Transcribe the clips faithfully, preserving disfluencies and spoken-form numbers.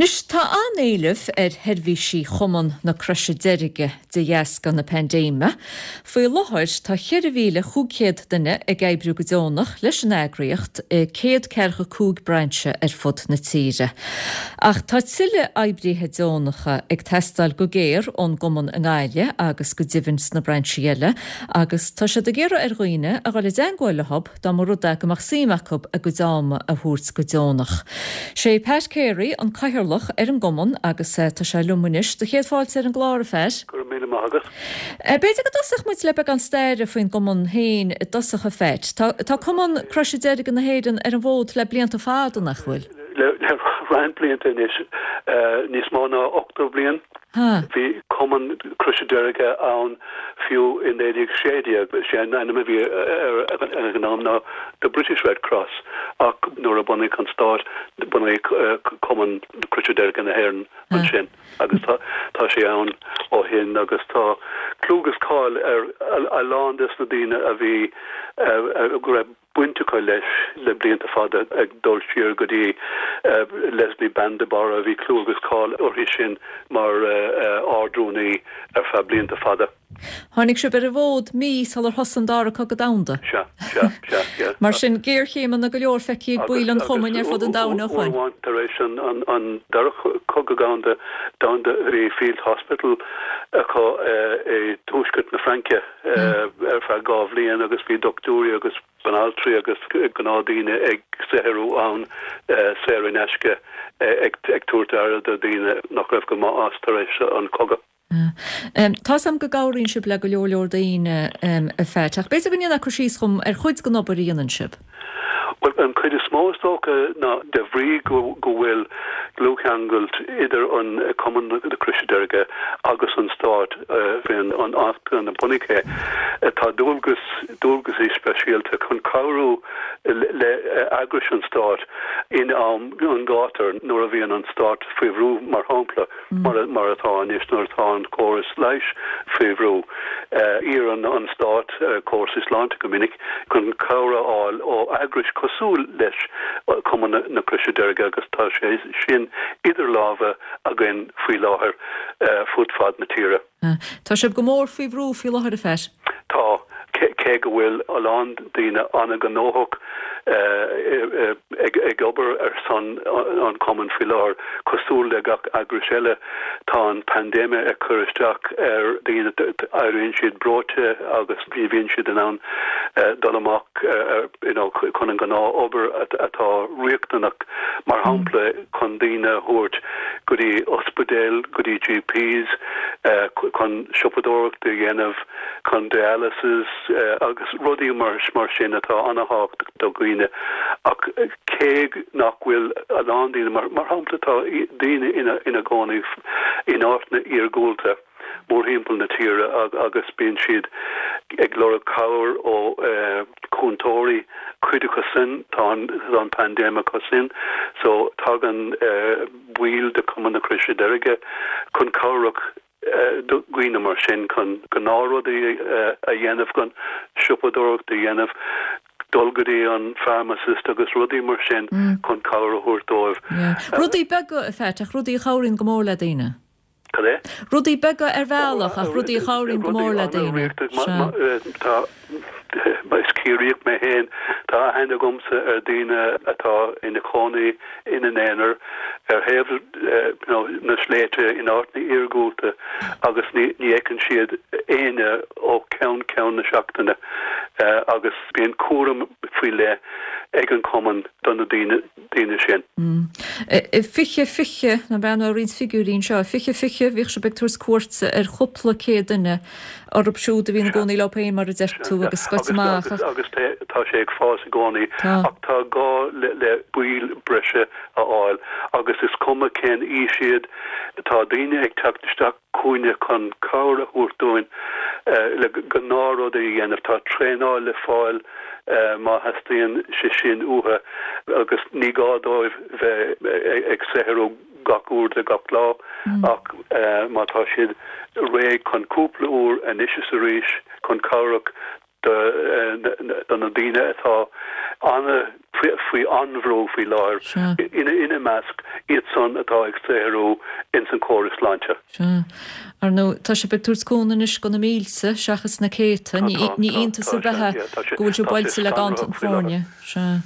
Anois tá an-éileamh ar sheirbhísí Chumann na Croise Deirge de dheasca na paindéime. Faoi láthair tá ceithre mhíle cúig chéad duine ag oibriú go deonach leis an eagraíocht i céad ceathracha cúig brainse ar fud na tíre. Ach tá tuilleadh oibrithe deonacha ag teastáil go géar ón gcumann i nGaillimh agus go deimhin sna brainsí eile, agus tá siad ag iarraidh ar dhaoine a dhul i dteagmháil leo dá mba rud é go mbeadh suim acu a gcuid ama a thabhairt go deonach. Sé Pat Carey an cathaoirleach ar an gcumann agus tá sé liom anois. Do chéad fáilte ar an gclár a Phat. Go raibh míle maith agat. B'fhéidir go dtosódh muid le beagán staire faoin gcumann féin i dtosach a Phat. Tá tá Cumann Croise Deirge na hÉireann ar an bhfód le blianta fada nach bhfuil? Le le roinnt blianta anois níos mó ná ochtó bliain. Bhí Cumann Croise Deirge ann fiú i naoi déag sé déag. Sé an ainm a bhí ar an am ná The British Red Cross ach nuair a bunaíodh an stát bunaíodh Cumann Croise Deirge na hÉireann ansin agus tá tá sé ann ó shin agus tá clú agus cáil ar a lán des na daoine a bhí go raibh baint acu leis le blianta fada ag dul siar go dtí Leslie Bean de Barra a bhí clú agus cáil uirthi sin mar ardrúnaí ar feadh blianta fada. Tháinig sibh ar an bhfód mí sular thosaigh an dara cogadh domhanda. Sea, sea, sea, yeah. Mar sin géarchéimeanna go leor feicthe ag baill an chumainn ar fud an domhain ó shin. Uair amháin tar éis an an an dara cogadh domhanda domhanda bhí Field Hospital acu i dtuaisceart na Fraince ar feadh dhá bhliain agus bhí dochtúirí agus banaltraí agus gnáthdaoine ag saothrú ann saor in aisce ag ag tabhairt aire do dhaoine nach raibh go maith as tar éis an cogadh. Tá 's agam go gcabhraíonn sibh le go leor leor daoine a Phat, ach b'fhéidir go ndéanfá cur síos dhom ar chuid den obair a dhéanann sibh. Bhuel, an chuid is mó is dócha ná de bhrí go go bhfuil dlúthcheangal idir an Cumann na Croise Deirge agus an Stát faoin an Acht a bunaíodh é, tá dualgas dualgaisí speisialta chun cabhrú le eagrais an Stáit in am an ghátair nuair a bhíonn an Stát faoi bhrú mar shampla mar mar atá anois nuair atá an córas leighis faoi bhrú. Iarrann an Stát córas sláinte go minic chun cabhair a fháil ó eagrais cosúil leis Cumann na Croise Deirge agus tá sé sin idir lámha againn faoi láthair fud fad na tíre. Tá sibh go mór faoi bhrú faoi láthair a Phat. Tá cé go bhfuil a lán daoine an-ghnóthach ag ag obair ar son an cumann faoi láthair cosúil le gach eagras eile tá an paindéime ag cur isteach ar daoine éiríonn siad breoite agus ní bhíonn siad in ann dul amach you know, chun an gnáth-obair atá riachtanach mar shampla chun daoine a thabhairt go dtí ospidéal go dtí GPs chun siopadóireacht a dhéanamh chun dialysis agus rudaí mar mar sin atá an-tábhachtach do dhaoine ach cé nach bhfuil a lán daoine mar mar shampla tá daoine ina ina gcónaí in áiteanna iargúlta mórthimpeall na tíre agus bíonn siad ag lorg cabhair ó chúntóirí cuid acu sin tá an paindéim acu sin so tagann baill de Cumann na Croise Deirge chun cabhrach dhaoine mar sin chun gnáthrudaí a dhéanamh chun siopadóireacht a dhéanamh dul go dtí an pharmacist agus rudaí mar sin chun cabhair a thabhairt dóibh. Rudaí beaga a Phat ach rudaí a chabhraíonn go mór le daoine. Cad é? Rudaí beaga ar bhealach ach rudaí a chabhraíonn go mór le daoine. Tá is Ciarraíoch mé féin tá aithne agamsa ar daoine atá ina chónaí ina n-aonar ar thaobh na sléibhte in áiteanna iargúlta agus ní ní fheiceann siad éinne ó cheann ceann na seachtaine agus bíonn cúram faoi leith ag an cumann do na daoine daoine sin. Fiche fiche ná bean roinnt figiúirí anseo, fiche fiche bhíodh sibh ag tabhairt cuairte ar chúpla céad duine orthu siúd a bhí ina gcónaí leo féin mar a deir tú agus scoite amach. Agus tá sé ag fás i gcónaí ach tá gá le le baill breise a fháil agus is cuma cén aois iad tá daoine ag teacht isteach chugainne chun cabhair a thabhairt dúinn le gnáthrudaí a dhéanamh tá traenáil le fáil má theastaíonn sé sin uathu agus ní gá dóibh bheith ag saothrú gach uair de gach lá ach má tá siad réidh chun cúpla uair anois is arís chun cabhrach do na daoine atá an- faoi an-bhrú faoi láthair, ina ina measc iad san atá ag saothrú ins an córas sláinte. Sea. Ar ndóigh, tá sibh ag tabhairt cúnamh anois do na mílte seachas na céadta. Ní iontas ar bith é go bhfuil sibh buailte le ganntan foirne. Sea.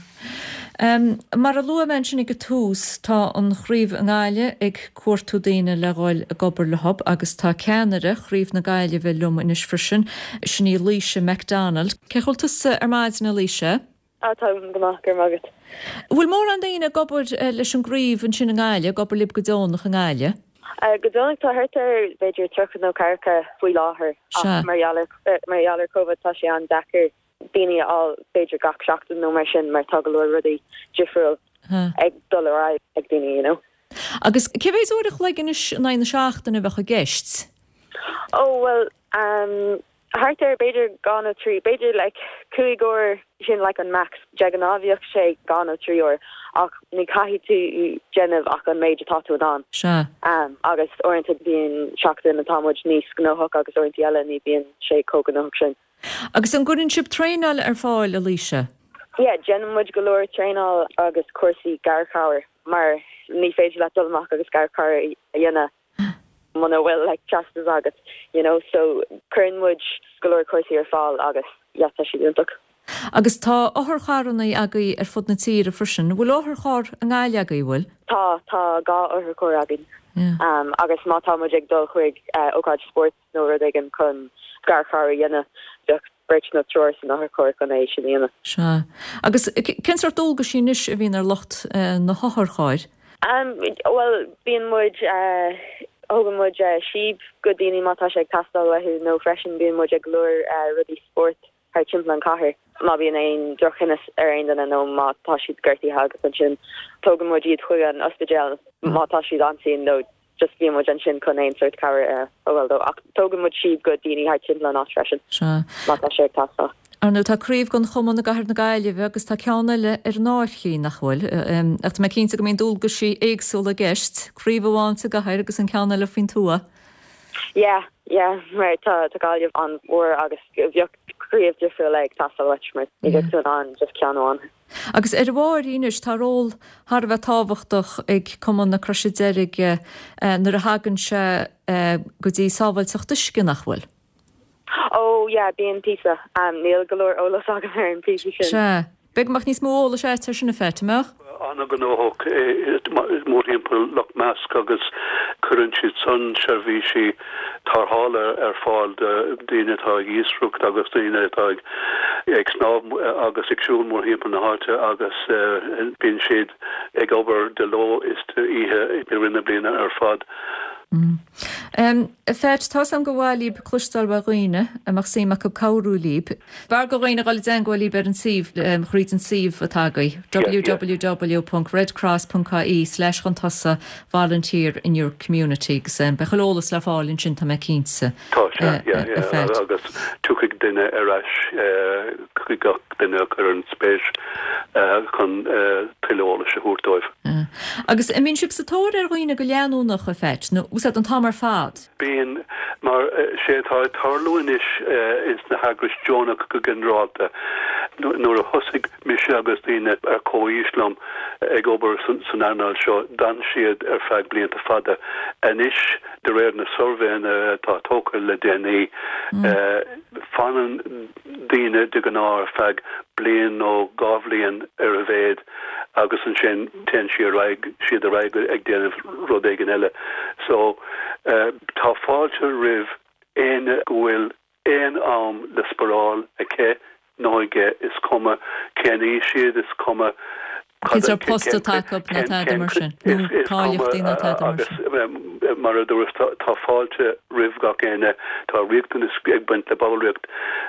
Mar a luaigh mé ansin ag an tús, tá an chraobh i nGaillimh ag cuartú daoine le dhul ag obair leo agus tá ceannaire chraobh na Gaillimhe liom anois freisin, sin í Laoise McDonald. Cén chaoi a bhfuil tusa ar maidin, a Laoise? Á, táim go maith, go raibh maith agat. Bhfuil mórán daoine ag obair leis an gcraobh ansin i nGaillimh, ag obair libh go deonach i nGaillimh? Go deonach tá thart ar b'fhéidir tríocha nó ceathracha faoi láthair ach mar gheall ar mar gheall ar Covid tá sé an-deacair daoine a fháil b'fhéidir gach seachtain nó mar sin mar tá go leor rudaí difriúil ag dul ar aghaidh ag daoine, you know. Agus cé mhéad uair a chloig anois in aghaidh na seachtaine a bheadh i gceist? Ó bhuel um, thart ar b'fhéidir dhá nó trí, b'fhéidir like cúig uair sin like an max. De ghnáth bhíodh sé dhá nó trí uair ach ní caithfidh tú déanamh ach an méid atá tú in ann. Sea. Um, agus uaireanta bíonn seachtain atá muid níos gnóthach agus uaireanta eile ní bhíonn sé chomh gnóthach sin. Agus an gcuireann sibh traenáil ar fáil, a Laoise? Yeah, déanann muid go leor traenáil agus cúrsaí garchabhair mar ní féidir leat dul amach agus garchabhair a dhéanamh muna bhfuil like teastas agat, you know, so cuireann muid go leor cúrsaí ar fáil agus yeah, tá siad iontach. Agus tá otharcharranna agaibh ar fud na tíre freisin. Bhfuil otharcharr i nGaillimh agaibh, bhfuil? Tá, tá dhá otharcharr againn. Um, agus má tá muid ag dul chuig uh, ócáid spóirt nó rud éigin chun garchabhair a dhéanamh, bheadh beirt nó triúr san otharcharr chun é sin a dhéanamh. Sea. Agus cén sórt dualgaisí anois a bhíonn ar lucht uh, na hotharchairr? Um, well, bíonn muid uh, thugann muid uh, síob go daoine má tá sé ag teastáil uathu nó freisin bíonn muid ag go leor uh, rudaí spóirt thar timpeall an chathair. Má bhíonn aon drochinnis ar aon duine nó má tá siad gortaithe agus ansin tógann muid iad chuig an ospidéal má tá siad ansin nó just bíonn muid ansin chun aon sórt cabhair a fháil dó ach tógann muid síob go daoine thar timpeall an áit freisin. Sea. Má tá sé ag teastáil. Ar ndóigh tá craobh den chumann i gCathair na Gaillimhe agus tá ceann eile ar an Fhairche nach bhfuil. Ach tá mé cinnte go mbíonn dualgaisí éagsúla i gceist, craobh amháin sa gcathair agus an ceann eile faoin tuath. Yeah, yeah, mar tá tá Gaillimh an-mhór agus bheadh craobh difriúil ag teastáil uait mar ní bheadh tú in ann just ceann amháin. Agus ar a bharr anois tá ról thar a bheith tábhachtach ag Cumann na Croise Deirge nuair a thagann sé go dtí sábháilteacht uisce nach bhfuil. Oh yeah, bíonn píosa. Um, níl go leor eolas agam ar an píosa sin. Sea. B'fhéidir go mbeadh níos mó eolais agat ar sin a Phat, an mbeadh? An-ghnóthach mórthimpeall Loch Measc agus cuireann siad san seirbhísí tarrthála ar fáil do daoine atá ag iascaireacht agus daoine atá ag ag snámh agus ag siúl mórthimpeall na háite agus bíonn siad ag obair de ló is d'oíche i rith na bliana ar fad. Um, Phat, tá am go bhhailíb clustal wa dhaoine a mbeadh suim acu cabhrú libh. B'fhearr do dhaoine dul i dteagmháil libh ar an suíomh thríd an suíomh atá agaibh www.redcross.ie slash chun tosaigh volunteer in your community agus um, beidh eolas le fáil ansin tá mé cinnte. Tá sé agus tiocfaidh duine ar ais chuig gach duine a chuireann spéis chun tuilleadh eolais a thabhairt dóibh. Agus an mbíonn sibh sa tóir ar dhaoine go leanúnach a Phat nó úsáid an t-am ar fad. Bíonn mar sé atá ag tarlú anois ins na heagrais deonach go ginearálta nuair a thosaigh mise agus daoine ar comhaois liom ag obair san earnáil seo d'fhan siad ar feadh blianta fada. Anois de réir na suirbhéanna atá tógtha le déanaí fanann daoine de ghnáth ar feadh bliain nó dhá bhliain ar a mhéad agus ansin téann sí ar aghaidh siad ar aghaidh ag déanamh rud éigin eile. So uh, tá fáilte roimh éinne go bhfuil aon am le sparáil aici nó aige is cuma cén aois iad is cuma Cén post atá acu nó tada mar sin cáilíochtaí nó tada mar sin. mar a dúras tá fáilte roimh gach éinne tá riachtanas ag baint le ballraíocht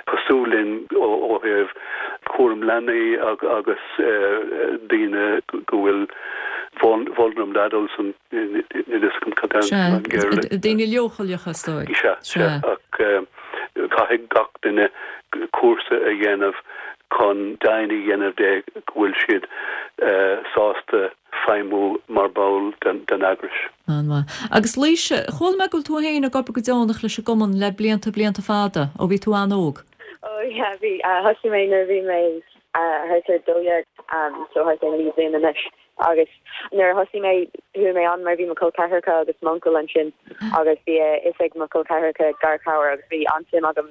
cosúil linn ó thaobh cúram leanaí agus daoine go bhfuil vulnerable adults an Daoine leochaileacha is dóigh. Sea ach caithfidh gach duine cúrsa a dhéanamh chun deimhin a dhéanamh de go bhfuil siad sásta feidhmiú mar ball den eagras. Agus Laoise, chuala mé go bhfuil tú féin ag obair go deonach leis an gcumann le blianta blianta fada ó bhí tú an-óg. Ó yeah, bhí thosaigh mé nuair bhí mé thart ar dó dhéag um, so thart ar naoi bliana anois. Agus nuair a thosaigh mé chuaigh mé ann mar bhí mo chol ceathracha agus m'uncail ansin agus bhí a fhios ag mo chol ceathracha garchabhair agus bhí an-suim agam.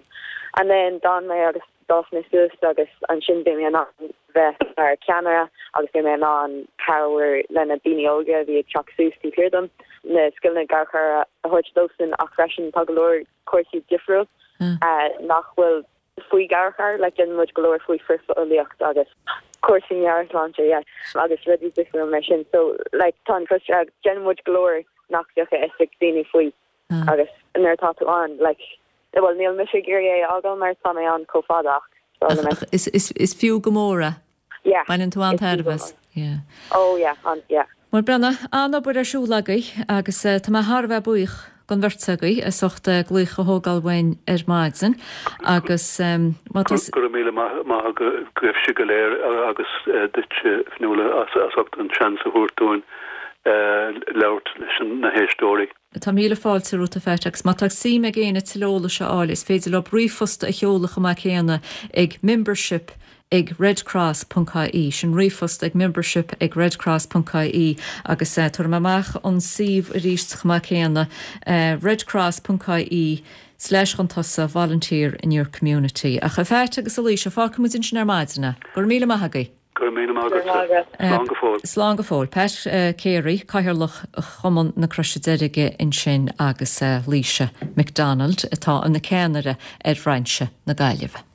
And then d'fhan mé agus d'fhás mé suas agus ansin bhí mé in ann bheith mar ceannaire agus bhí mé in ann cabhair le na daoine óga a bhí ag teacht suas taobh thiar dom na scileanna garchabhair a thabhairt dósan ach freisin tá go leor cúrsaí difriúil uh, nach bhfuil faoi garchabhair like déanann muid go leor faoi frithbhulaíocht agus cúrsaí meabhairshláinte yeah agus rudaí difriúil mar sin so like tá an Crois déanann muid go leor nach bhfuil a fhios ag daoine faoi agus nuair atá tú ann like well níl mise ag iarraidh é a fhágáil mar tá mé ann chomh fada ach Is is is fiú go mór é. yeah Baineann tú an-tairbhe as. Yeah. oh yeah an yeah Mar brena an-obair ar siúl agaibh agus uh, tá mé thar a bheith buíoch den bheirt agaibh as ucht uh, glaoch a thógáil uainn ar maidin agus um, má tá Go raibh míle maith agaibhse go léir agus duit Fionnuala as as ucht an seans a thabhairt dúinn labhairt leis na héisteoirí. Tá míle fáilte romhat a Phat agus má tá suim ag éinne tuilleadh eolais a fháil is féidir leo ríomhphost a sheoladh chomh maith céanna ag membership ag redcross.ie sin ríomhphost ag membership ag redcross.ie agus uh, tabharfaidh mé amach an suíomh arís chomh maith céanna uh, redcross.ie slash chun tosaigh volunteer in your community. Ach a Phat agus a Laoise fágfaidh muid ansin ar maidin. Gur míle maith agaibh. Gur míle maith Slán go fóill. Slán go fóill. Pat uh, Carey Cathaoirleach Chumann na Croise Deirge ansin agus uh, Laoise McDonald atá ina ceannaire ar bhrainse na Gaillimhe.